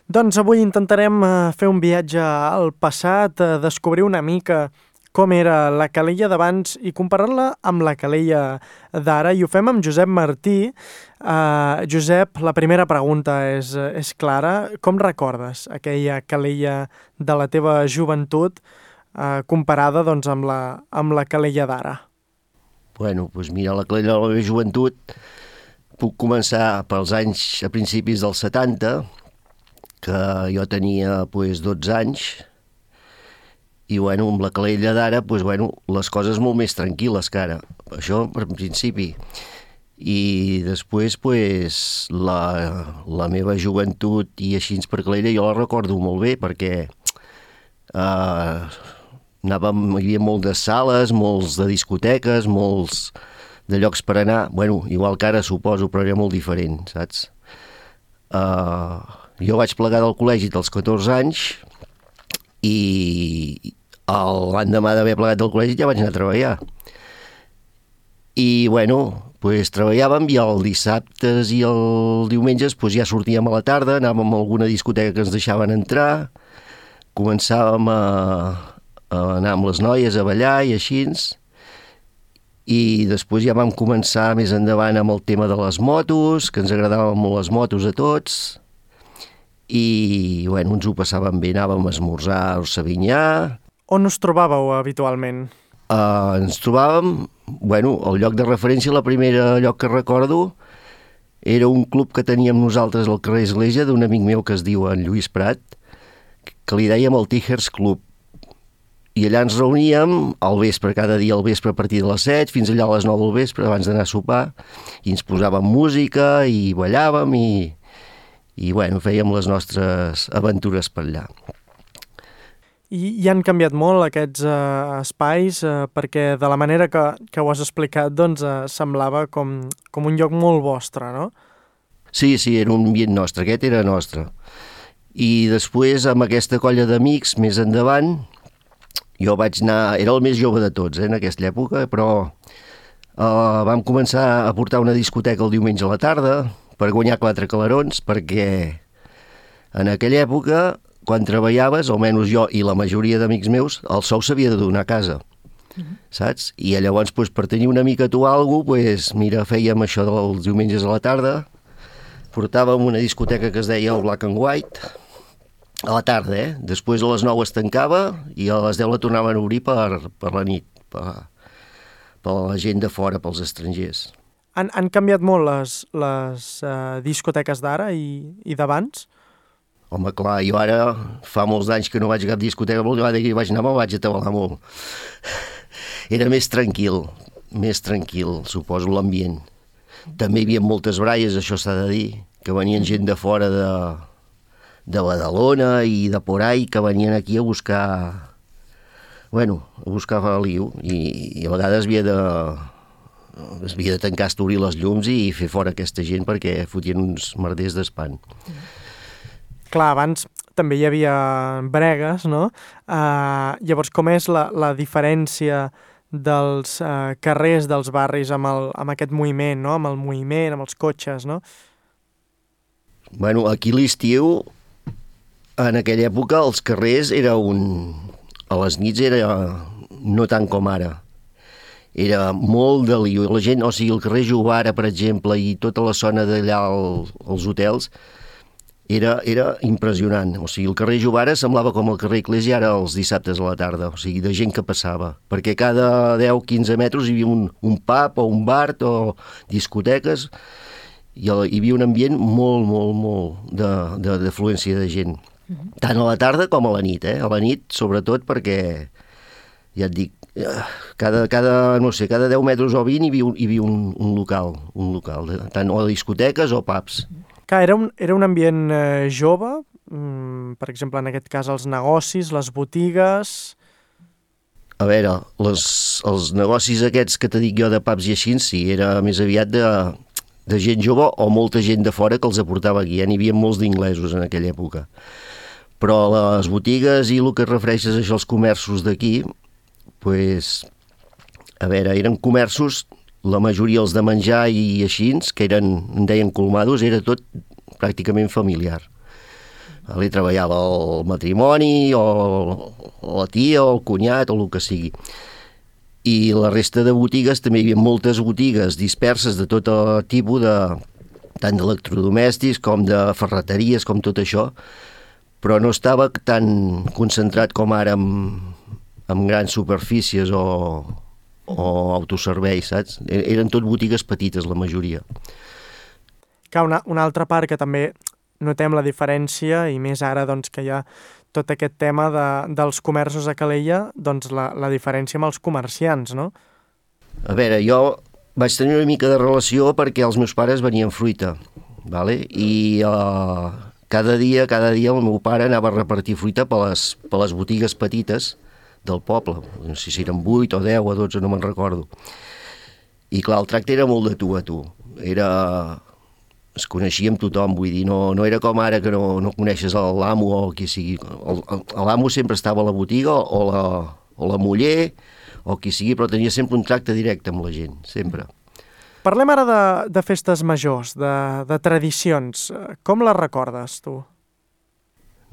Doncs avui intentarem fer un viatge al passat, descobrir una mica com era la Calella d'abans i comparar-la amb la Calella d'ara. I ho fem amb Josep Martí. Josep, la primera pregunta és clara. Com recordes aquella Calella de la teva joventut comparada doncs, amb la Calella d'ara? Bueno, doncs mira, la Calella de la meva joventut puc començar pels anys a principis dels 70, que jo tenia 12 anys, i amb la Calella d'ara les coses molt més tranquil·les que ara. Això per principi. I després la meva joventut i així per Calella jo la recordo molt bé perquè hi havia moltes sales, molts de discoteques, molts de llocs per anar. Igual que ara suposo, però era molt diferent, saps? Jo vaig plegar del col·legi dels 14 anys i l'endemà d'haver plegat del col·legi ja vaig anar a treballar. I treballàvem i els dissabtes i els diumenges ja sortíem a la tarda, anàvem a alguna discoteca que ens deixaven entrar, començàvem a anar amb les noies a ballar i així, i després ja vam començar més endavant amb el tema de les motos, que ens agradaven molt les motos a tots, i ens ho passàvem bé, anàvem a esmorzar a Orsavinyà. On us trobàveu habitualment? Ens trobàvem, el lloc de referència, la primera lloc que recordo, era un club que teníem nosaltres al carrer Església d'un amic meu que es diu en Lluís Prat, que li dèiem el Tigers Club. I allà ens reuníem al vespre, cada dia al vespre a partir de les 7 fins allà a les 9 del vespre abans d'anar a sopar, i ens posàvem música i ballàvem i fèiem les nostres aventures per allà. I han canviat molt aquests espais perquè de la manera que ho has explicat semblava com un lloc molt vostre, no? Sí, era un ambient nostre, aquest era nostre. I després amb aquesta colla d'amics més endavant jo vaig anar, era el més jove de tots en aquesta època, però vam començar a portar una discoteca el diumenge a la tarda per guanyar 4 calarons, perquè en aquella època, quan treballaves, almenys jo i la majoria d'amics meus, el sou s'havia de donar a casa, saps? I llavors, per tenir una mica tu alguna cosa, fèiem això dels diumenges a la tarda, portàvem una discoteca que es deia el Black and White, a la tarda, Després a les 9 es tancava i a les 10 la tornaven a obrir per la nit, per la gent de fora, pels estrangers. Han canviat molt les discoteques d'ara i d'abans? Home, clar, jo ara fa molts anys que no vaig a cap discoteca, molt vegada que hi vaig anar me'l vaig atabalar molt. Era més tranquil, suposo, l'ambient. També hi havia moltes braies, això s'ha de dir, que venien gent de fora de Badalona i de por ahí, que venien aquí a buscar feliu, i a vegades havia de tancar, obrir les llums i fer fora aquesta gent perquè fotien uns merders d'espant. Clar, abans també hi havia bregues, no? Llavors, com és la diferència dels carrers dels barris amb aquest moviment, no? Amb el moviment, amb els cotxes, no? Aquí l'estiu, en aquella època, els carrers a les nits era no tant com ara. Era molt de lío. La gent, el carrer Jovara, per exemple, i tota la zona d'allà als hotels, era impressionant. El carrer Jovara semblava com el carrer Eclésia ara els dissabtes a la tarda, de gent que passava. Perquè cada 10-15 metres hi havia un pub o un bar o discoteques, i hi havia un ambient molt, molt, molt d'afluència de gent. Tant a la tarda com a la nit, A la nit, sobretot, perquè, ja et dic, cada 10 metres o 20 hi havia un local, tant o discoteques o pubs. Clar, era un ambient jove, per exemple, en aquest cas, els negocis, les botigues... A veure, els negocis aquests que t'he dit jo de pubs i així, sí, era més aviat de gent jove o molta gent de fora que els aportava aquí. N'hi havia molts d'inglesos en aquella època. Però les botigues i el que refereixes a això, els comerços d'aquí, a veure, eren comerços, la majoria els de menjar i així, que en deien colmados, era tot pràcticament familiar. Li treballava el matrimoni o la tia o el cunyat o el que sigui. I la resta de botigues, també hi havia moltes botigues disperses de tot tipus, tant d'electrodomèstics com de ferreteries, com tot això, però no estava tan concentrat com ara en grans superfícies o autoserveis, saps? Eren tot botigues petites, la majoria. Una altra part que també notem la diferència, i més ara doncs, que hi ha tot aquest tema dels comerços a Calella, doncs la diferència amb els comerciants, no? A veure, jo vaig tenir una mica de relació perquè els meus pares venien fruita, vale? I cada dia el meu pare anava a repartir fruita per les botigues petites del poble, no sé si eren 8 o 10 o 12, no me'n recordo. I clar, el tracte era molt de tu a tu. Es coneixia amb tothom, vull dir, no era com ara que no coneixes l'amo o qui sigui. L'amo sempre estava a la botiga o la muller o qui sigui, però tenia sempre un tracte directe amb la gent, sempre. Parlem ara de festes majors, de tradicions. Com les recordes, tu?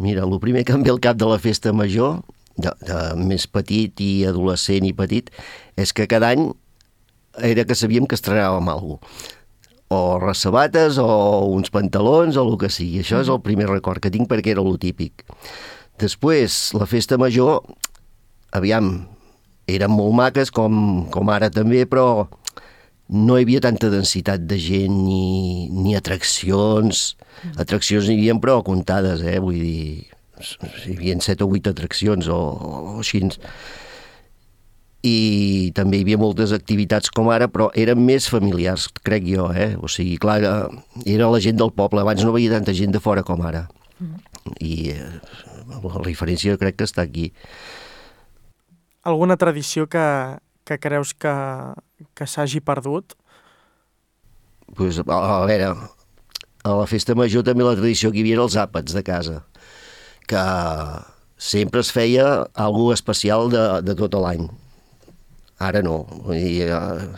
Mira, el primer que em ve al cap de la festa major, de més petit i adolescent i petit, és que cada any era que sabíem que estrenàvem alguna cosa. O resabates, o uns pantalons, o el que sigui. Això és el primer record que tinc perquè era lo típic. Després, la festa major, aviam, eren molt maques, com ara també, però no hi havia tanta densitat de gent ni atraccions. Atraccions n'hi havia, però comptades, vull dir, hi havia 7 o 8 atraccions o així. I també hi havia moltes activitats com ara, però eren més familiars, crec jo, O sigui, clar, era la gent del poble. Abans no veia tanta gent de fora com ara. I la diferència crec que està aquí. Alguna tradició que creus que s'hagi perdut? Pues, a veure, a la festa major també la tradició que hi havia era els àpats de casa, que sempre es feia alguna especial de tot l'any. Ara no.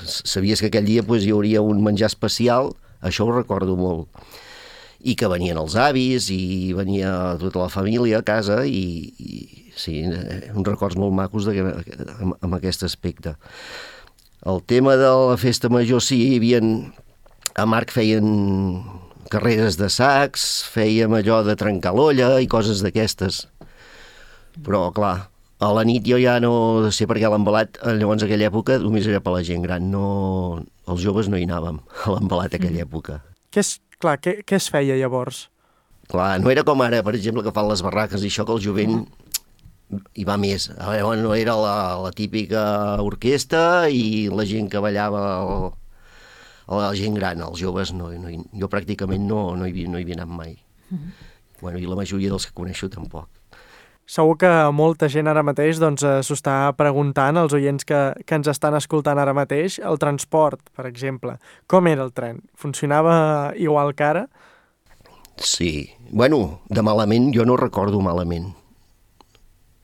Sabies que aquell dia hi hauria un menjar especial, això ho recordo molt. I que venien els avis i venia tota la família a casa i sí, uns records molt macos amb aquest aspecte. El tema de la festa major, sí, hi havia... A Marc feien carreres de sacs, fèiem allò de trencar l'olla i coses d'aquestes. Però, clar, a la nit jo ja no sé per què l'embalat, llavors aquella època només era per la gent gran, els joves no hi anàvem a l'embalat aquella època. Què es feia llavors? Clar, no era com ara, per exemple, que fan les barraques i això, que el jovent hi va més. Llavors no era la típica orquestra i la gent que ballava la gent gran, els joves no, jo pràcticament no hi havia anat mai. Bueno, i la majoria dels que coneixo tampoc. Segur que molta gent ara mateix s'ho està preguntant, els oients que ens estan escoltant ara mateix, el transport, per exemple. Com era el tren? Funcionava igual que ara? Sí. Bueno, de malament jo no recordo malament.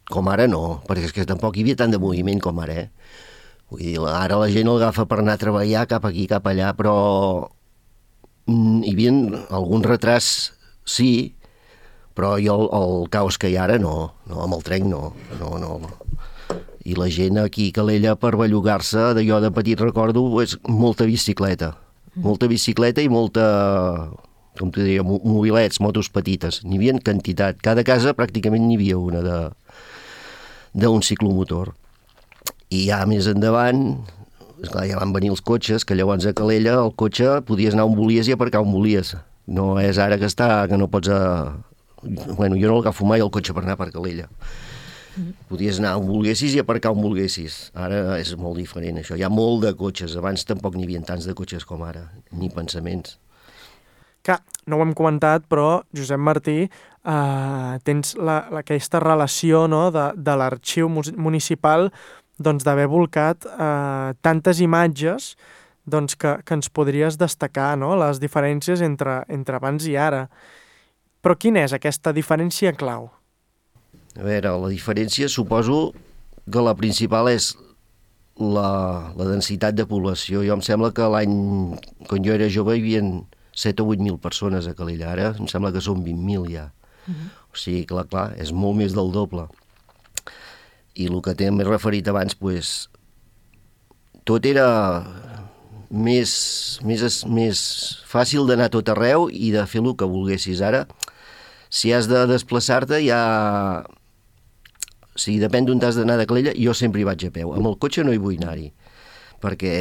Com ara no, perquè és que tampoc hi havia tant de moviment com ara, Vull dir, ara la gent el agafa per anar a treballar cap aquí, cap allà, però hi havia algun retras, sí, però jo el caos que hi ha ara no, amb el tren no. I la gent aquí a Calella per bellugar-se, d'allò de petit recordo, és molta bicicleta i molta, com t'ho diria, mobilets, motos petites. N'hi havia quantitat. Cada casa pràcticament n'hi havia una d'un ciclomotor. I ja més endavant, esclar, ja van venir els cotxes, que llavors a Calella el cotxe podies anar on volies i aparcar on volies. No és ara que no pots... Bueno, jo no l'agafo mai el cotxe per anar per Calella. Podies anar on volguessis i aparcar on volguessis. Ara és molt diferent, això. Hi ha molt de cotxes. Abans tampoc n'hi havia tants de cotxes com ara, ni pensaments. Que no ho hem comentat, però, Josep Martí, tens aquesta relació, no?, de l'arxiu municipal d'haver volcat tantes imatges que ens podries destacar, no?, les diferències entre abans i ara. Però quina és aquesta diferència clau? A veure, la diferència suposo que la principal és la densitat de població. Jo em sembla que l'any, quan jo era jove, hi havia 7 o 8.000 persones a Calella. Ara em sembla que són 20.000 ja. O sigui, clar, és molt més del doble. I el que t'he referit abans, doncs, tot era més fàcil d'anar a tot arreu i de fer el que volguessis. Ara, si has de desplaçar-te, ja... O sigui, depèn d'on t'has d'anar de Calella, jo sempre hi vaig a peu. Amb el cotxe no hi vull anar-hi, perquè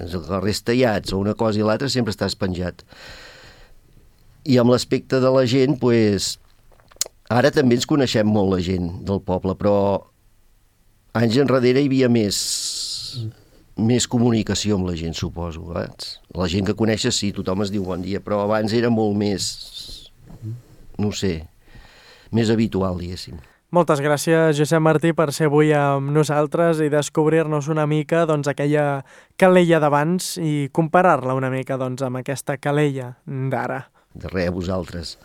els carrers tallats o una cosa i l'altra sempre estàs penjat. I amb l'aspecte de la gent, doncs, ara també ens coneixem molt la gent del poble, però anys enrere hi havia més comunicació amb la gent, suposo. La gent que coneixes, sí, tothom es diu bon dia, però abans era molt més, no sé, més habitual, diguéssim. Moltes gràcies, Josep Martí, per ser avui amb nosaltres i descobrir-nos una mica aquella Calella d'abans i comparar-la una mica amb aquesta Calella d'ara. De res, a vosaltres.